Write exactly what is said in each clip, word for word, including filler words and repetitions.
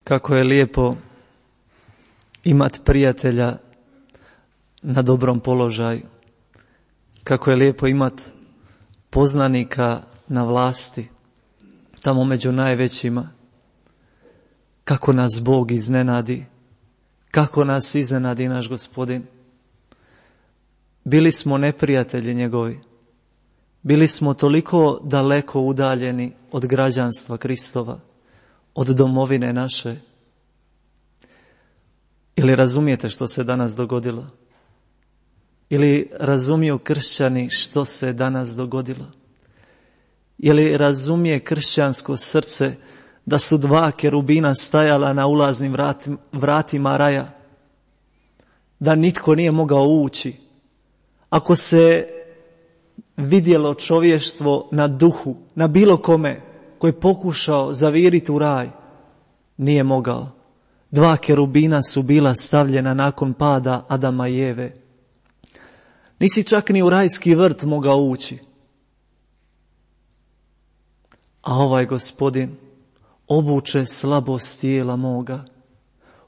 Kako je lijepo imati prijatelja na dobrom položaju. Kako je lijepo imati poznanika na vlasti, tamo među najvećima. Kako nas Bog iznenadi, kako nas iznenadi naš Gospodin. Bili smo neprijatelji njegovi. Bili smo toliko daleko udaljeni od građanstva Kristova, od domovine naše. Ili razumijete što se danas dogodilo? Ili razumiju kršćani što se danas dogodilo? Ili razumije kršćansko srce da su dva kerubina stajala na ulaznim vratima, vratima raja? Da nitko nije mogao ući? Ako se vidjelo čovještvo na duhu, na bilo kome koji je pokušao zaviriti u raj, nije mogao. Dva kerubina su bila stavljena nakon pada Adama i Eve. Nisi čak ni u rajski vrt mogao ući. A ovaj Gospodin obuče slabost tijela moga,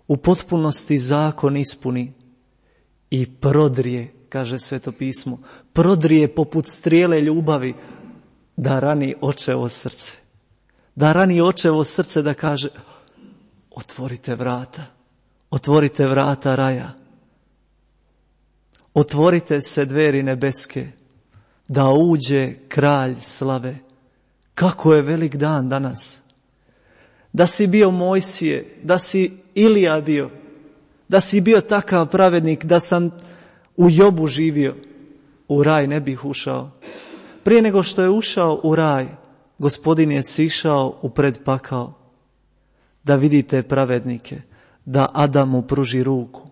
u potpunosti zakon ispuni i prodrije, kaže Sveto pismo, prodrije poput strijele ljubavi, da rani očevo srce. Da rani očevo srce, da kaže: otvorite vrata, otvorite vrata raja. Otvorite se dveri nebeske, da uđe kralj slave. Kako je velik dan danas. Da si bio Mojsije, da si Ilija bio, da si bio takav pravednik, da sam u Jobu živio, u raj ne bih ušao. Prije nego što je ušao u raj, Gospodin je sišao u predpakao, da vidite pravednike, da Adamu pruži ruku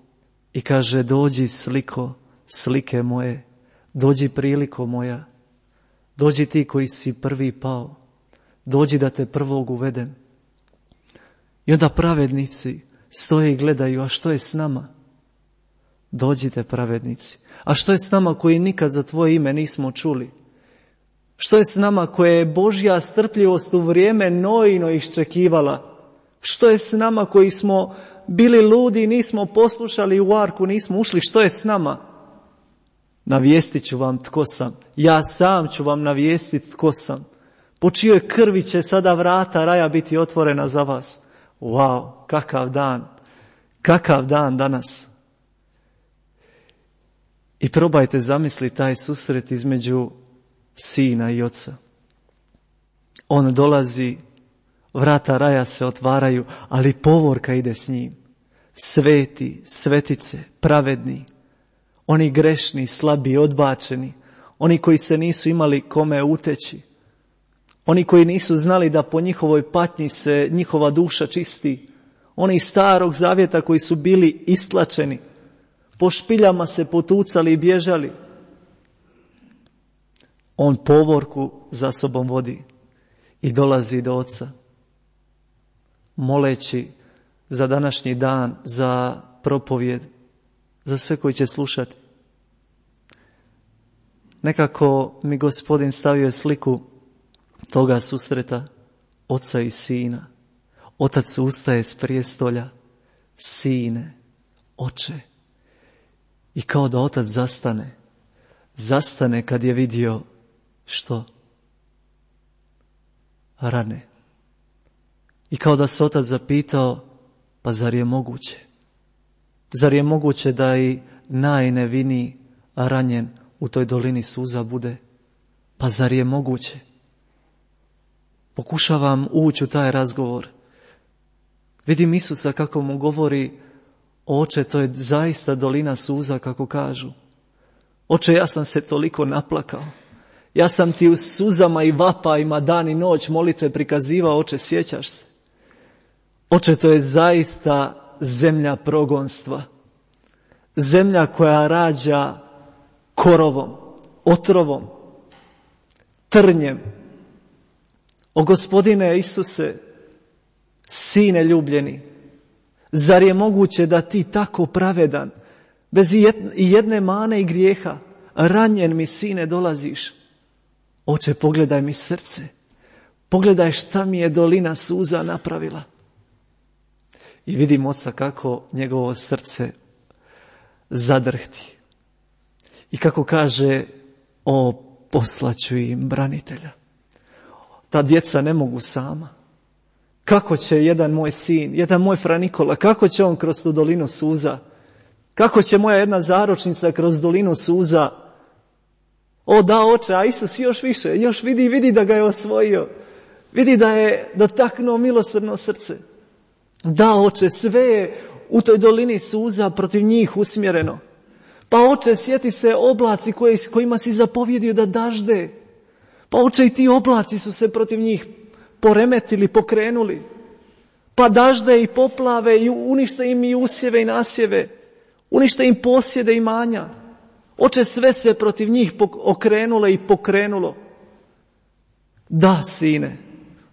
i kaže: dođi sliko, slike moje, dođi priliko moja, dođi ti koji si prvi pao, dođi da te prvog uvedem. I onda pravednici stoje i gledaju: a što je s nama? Dođite pravednici. A što je s nama koji nikad za tvoje ime nismo čuli? Što je s nama koje je Božja strpljivost u vrijeme Noino iščekivala? Što je s nama koji smo bili ludi i nismo poslušali, u arku nismo ušli? Što je s nama? Navijestit ću vam tko sam. Ja sam ću vam navijestiti tko sam. Po čijoj krvi će sada vrata raja biti otvorena za vas. Wow, kakav dan. Kakav dan danas. I probajte zamisliti taj susret između sina i oca. On dolazi, vrata raja se otvaraju, ali povorka ide s njim. Sveti, svetice, pravedni, oni grešni, slabi, odbačeni, oni koji se nisu imali kome uteći, oni koji nisu znali da po njihovoj patnji se njihova duša čisti, oni iz starog zavjeta koji su bili istlačeni, po špiljama se potucali i bježali. On povorku za sobom vodi i dolazi do oca, moleći za današnji dan, za propovjed, za sve koji će slušati. Nekako mi Gospodin stavio sliku toga susreta oca i sina. Otac ustaje s prijestolja: sine, oče. I kao da otac zastane. Zastane kad je vidio što? Rane. I kao da se otac zapitao: pa zar je moguće? Zar je moguće da i najneviniji ranjen u toj dolini suza bude? Pa zar je moguće? Pokušavam ući u taj razgovor. Vidim Isusa kako mu govori: oče, to je zaista dolina suza kako kažu. Oče, ja sam se toliko naplakao. Ja sam ti u suzama i vapajima dan i noć molitve prikazivao, oče, sjećaš se? Oče, to je zaista zemlja progonstva. Zemlja koja rađa korovom, otrovom, trnjem. O Gospodine Isuse, sine ljubljeni, zar je moguće da ti tako pravedan, bez jedne mane i grijeha, ranjen mi, sine, dolaziš? Oče, pogledaj mi srce, pogledaj šta mi je dolina suza napravila. I vidim oca kako njegovo srce zadrhti. I kako kaže, o, poslaću im branitelja. Ta djeca ne mogu sama. Kako će jedan moj sin, jedan moj Fra Nikola, kako će on kroz tu dolinu suza? Kako će moja jedna zaročnica kroz dolinu suza? O da, oče, a Isus još više, još vidi, vidi da ga je osvojio. Vidi da je dotaknuo milosrdno srce. Da, oče, sve je u toj dolini suza protiv njih usmjereno. Pa oče, sjeti se oblaci koji, kojima si zapovjedio da dažde. Pa oče, i ti oblaci su se protiv njih poremetili, pokrenuli. Pa dažde i poplave i unište im i usjeve i nasjeve. Unište im posjede i manja. Oče, sve se protiv njih okrenulo i pokrenulo. Da, sine,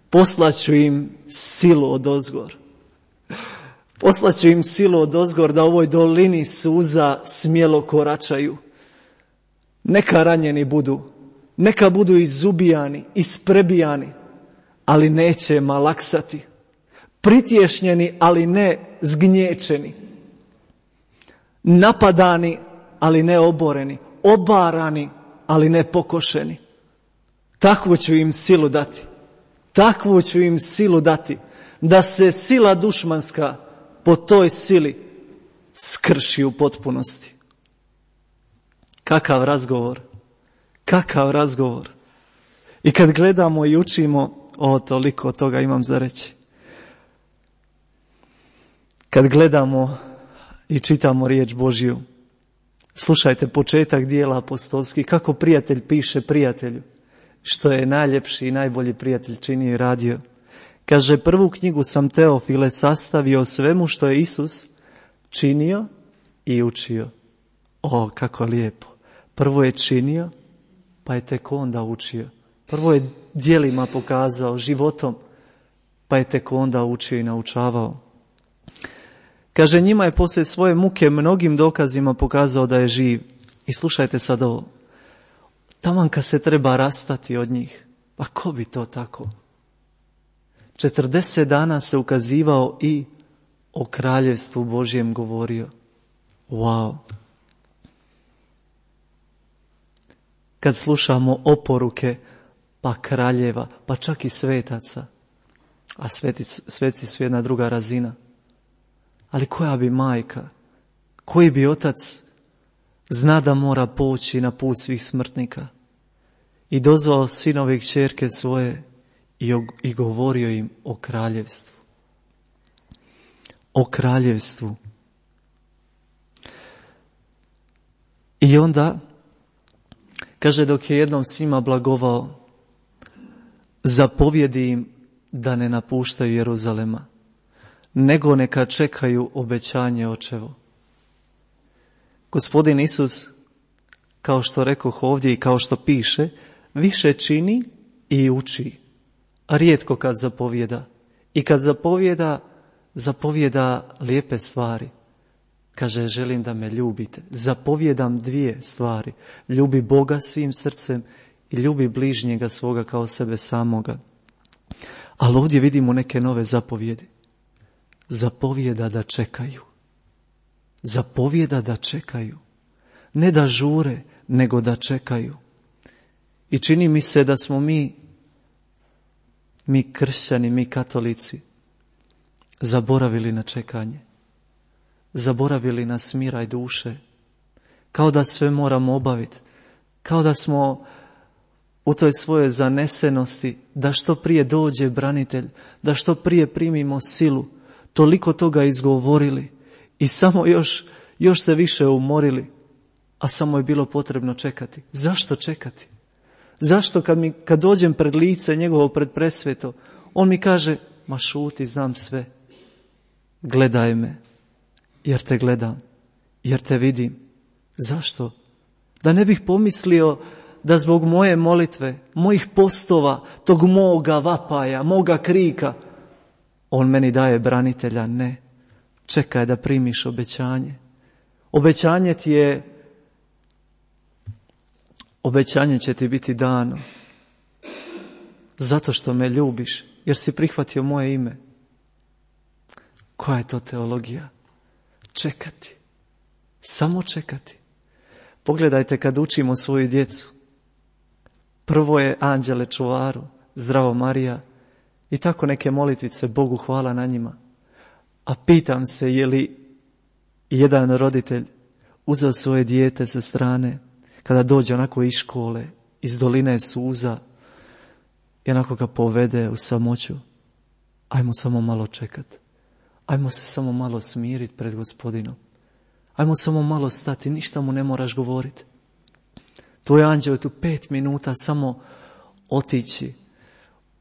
poslaću im silu odozgor. Poslaću im silu odozgor da u ovoj dolini suza smjelo koračaju. Neka ranjeni budu, neka budu izubijani, isprebijani, ali neće malaksati. Pritješnjeni, ali ne zgnječeni. Napadani, ali ne oboreni. Obarani, ali ne pokošeni. Takvu ću im silu dati. Takvu ću im silu dati. Da se sila dušmanska po toj sili skrši u potpunosti. Kakav razgovor. Kakav razgovor. I kad gledamo i učimo, o, toliko toga imam za reći. Kad gledamo i čitamo riječ Božju, slušajte početak dijela apostolskih, kako prijatelj piše prijatelju, što je najljepši i najbolji prijatelj činio i radio. Kaže, prvu knjigu sam, Teofile, sastavio o svemu što je Isus činio i učio. O, kako lijepo. Prvo je činio, pa je tek onda učio. Prvo je djelima pokazao, životom, pa je tek onda učio i naučavao. Kaže, njima je poslije svoje muke mnogim dokazima pokazao da je živ. I slušajte sad ovo. Taman kad se treba rastati od njih, pa ko bi to tako? četrdeset dana se ukazivao i o kraljevstvu Božjem govorio. Wow. Kad slušamo oporuke, pa kraljeva, pa čak i svetaca, a sveti, sveci su jedna druga razina. Ali koja bi majka, koji bi otac zna da mora poći na put svih smrtnika i dozvao sinove i kćerke svoje i, og, i govorio im o kraljevstvu. O kraljevstvu. I onda, kaže, dok je jednom svima blagovao, zapovjedi im da ne napuštaju Jeruzalema, nego neka čekaju obećanje očevo. Gospodin Isus, kao što rekoh ovdje i kao što piše, više čini i uči. A rijetko kad zapovjeda. I kad zapovjeda, zapovjeda lijepe stvari. Kaže, želim da me ljubite. Zapovjedam dvije stvari. Ljubi Boga svim srcem i ljubi bližnjega svoga kao sebe samoga. Ali ovdje vidimo neke nove zapovjedi. Zapovjeda da čekaju. Zapovjeda da čekaju. Ne da žure, nego da čekaju. I čini mi se da smo mi, mi kršćani, mi katolici, zaboravili na čekanje. Zaboravili na smiraj duše. Kao da sve moramo obaviti. Kao da smo u toj svojoj zanesenosti, da što prije dođe branitelj, da što prije primimo silu, toliko toga izgovorili i samo još, još se više umorili, a samo je bilo potrebno čekati. Zašto čekati? Zašto kad, mi, kad dođem pred lice njegovo, pred presveto, on mi kaže, ma šuti, znam sve. Gledaj me, jer te gledam, jer te vidim. Zašto? Da ne bih pomislio da zbog moje molitve, mojih postova, tog moga vapaja, moga krika, on meni daje branitelja. Ne. Čekaj da primiš obećanje. Obećanje ti je, obećanje će ti biti dano. Zato što me ljubiš, jer si prihvatio moje ime. Koja je to teologija? Čekati. Samo čekati. Pogledajte kad učimo svoju djecu. Prvo je anđele čuvaru, zdravo Marija i tako neke molitice, Bogu hvala na njima. A pitam se je li jedan roditelj uzeo svoje dijete sa strane kada dođe onako iz škole, iz doline suza i onako ga povede u samoću. Ajmo samo malo čekat. Ajmo se samo malo smiriti pred Gospodinom. Ajmo samo malo stati, ništa mu ne moraš govoriti. Tvoj anđeo je tu pet minuta samo otići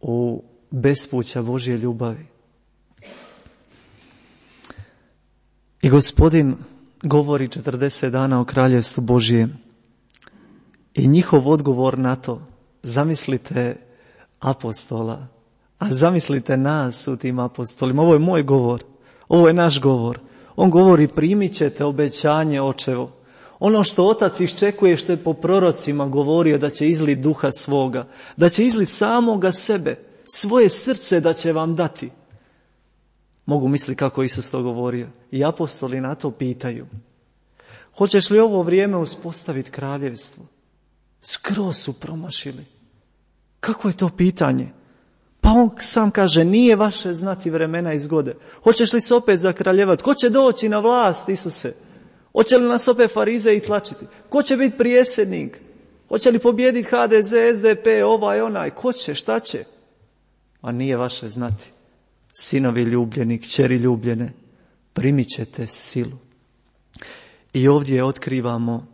u bespuća Božje ljubavi. I Gospodin govori četrdeset dana o kraljevstvu Božjem. I njihov odgovor na to, zamislite apostola, a zamislite nas u tim apostolima. Ovo je moj govor, ovo je naš govor. On govori primit ćete obećanje očevo. Ono što otac iščekuje, što je po prorocima govorio da će izlit duha svoga, da će izlit samoga sebe, svoje srce da će vam dati. Mogu misliti kako Isus to govorio. I apostoli na to pitaju. Hoćeš li ovo vrijeme uspostaviti kraljevstvo? Skroz su promašili. Kako je to pitanje? Pa on sam kaže, nije vaše znati vremena i zgode. Hoćeš li se opet zakraljevati? Ko će doći na vlast, Isuse? Hoće li nas opet farizeji tlačiti? Ko će biti prijesednik? Hoće li pobijediti ha de ze, es de pe, ovaj, onaj? Ko će, šta će? A nije vaše znati. Sinovi ljubljeni, kćeri ljubljene, primit ćete silu. I ovdje otkrivamo,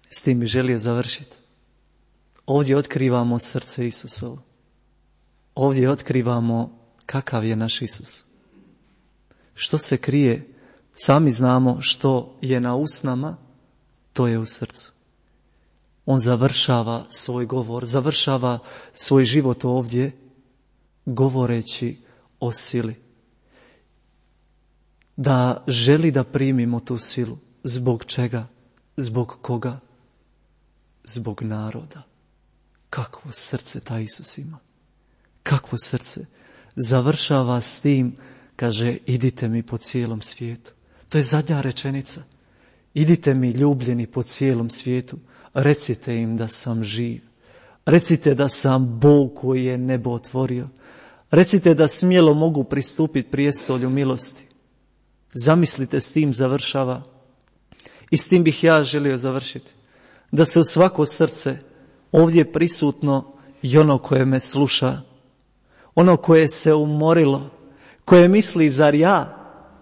s tim bi želio završiti, ovdje otkrivamo srce Isusovo. Ovdje otkrivamo kakav je naš Isus. Što se krije, sami znamo što je na usnama, to je u srcu. On završava svoj govor, završava svoj život ovdje, govoreći o sili. Da želi da primimo tu silu. Zbog čega? Zbog koga? Zbog naroda. Kakvo srce taj Isus ima. Kakvo srce. Završava s tim, kaže, idite mi po cijelom svijetu. To je zadnja rečenica. Idite mi ljubljeni po cijelom svijetu. Recite im da sam živ. Recite da sam Bog koji je nebo otvorio. Recite da smjelo mogu pristupiti prijestolju milosti. Zamislite, s tim završava. I s tim bih ja želio završiti. Da se u svako srce ovdje prisutno i ono koje me sluša, ono koje se umorilo, koje misli, zar ja,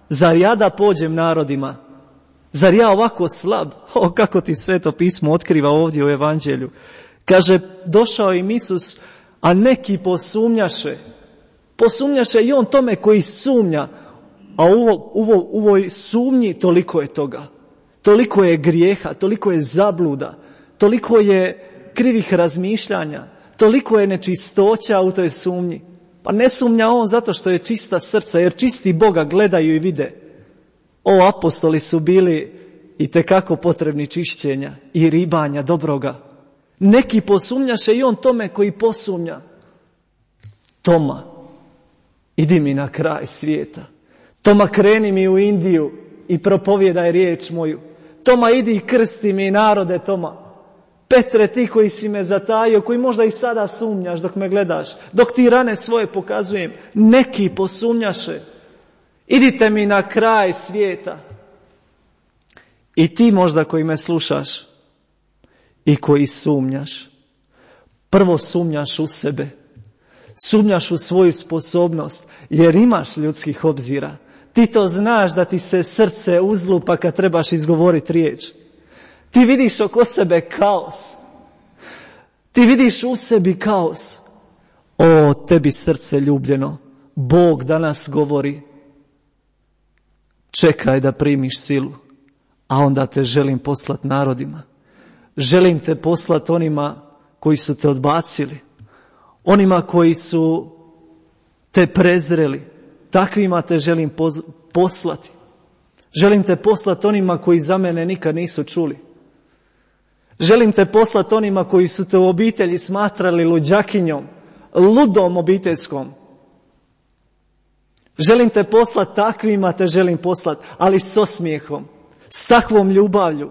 zar ja da pođem narodima, zar ja ovako slab, o kako ti Sveto pismo otkriva ovdje u evanđelju. Kaže, došao im Isus, a neki posumnjaše, posumnjaše i on tome koji sumnja, a u, u, u ovoj sumnji toliko je toga, toliko je grijeha, toliko je zabluda, toliko je krivih razmišljanja, toliko je nečistoća u toj sumnji. Pa ne sumnja on zato što je čista srca, jer čisti Boga gledaju i vide. O, apostoli su bili itekako potrebni čišćenja i ribanja dobroga. Neki posumnjaše i on tome koji posumnja. Toma, idi mi na kraj svijeta. Toma, kreni mi u Indiju i propovijedaj riječ moju. Toma, idi i krsti mi narode, Toma. Petre, ti koji si me zatajio, koji možda i sada sumnjaš dok me gledaš, dok ti rane svoje pokazujem, neki posumnjaše. Idite mi na kraj svijeta. I ti možda koji me slušaš i koji sumnjaš, prvo sumnjaš u sebe, sumnjaš u svoju sposobnost, jer imaš ljudskih obzira. Ti to znaš da ti se srce uzlupa kad trebaš izgovoriti riječ. Ti vidiš oko sebe kaos. Ti vidiš u sebi kaos. O, tebi srce ljubljeno, Bog danas govori, čekaj da primiš silu, a onda te želim poslati narodima. Želim te poslati onima koji su te odbacili, onima koji su te prezreli, takvima te želim poslati. Želim te poslati onima koji za mene nikad nisu čuli. Želim te poslati onima koji su te u obitelji smatrali luđakinjom, ludom obiteljskom. Želim te poslati takvima, te želim poslati, ali s osmijehom, s takvom ljubavlju,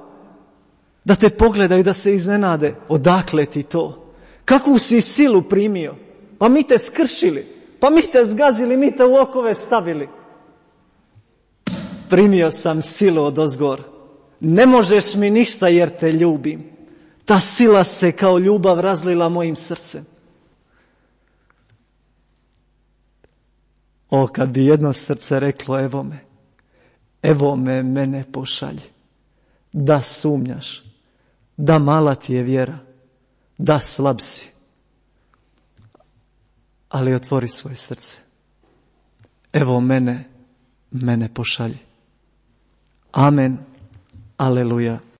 da te pogledaju, da se iznenade. Odakle ti to? Kakvu si silu primio? Pa mi te skršili, pa mi te zgazili, mi te u okove stavili. Primio sam silu odozgor. Ne možeš mi ništa jer te ljubim. Ta sila se kao ljubav razlila mojim srcem. O, kad bi jedno srce reklo, evo me, evo me, mene pošalji. Da sumnjaš, da mala ti je vjera, da slab si. Ali otvori svoje srce. Evo mene, mene pošalji. Amen. Aleluja.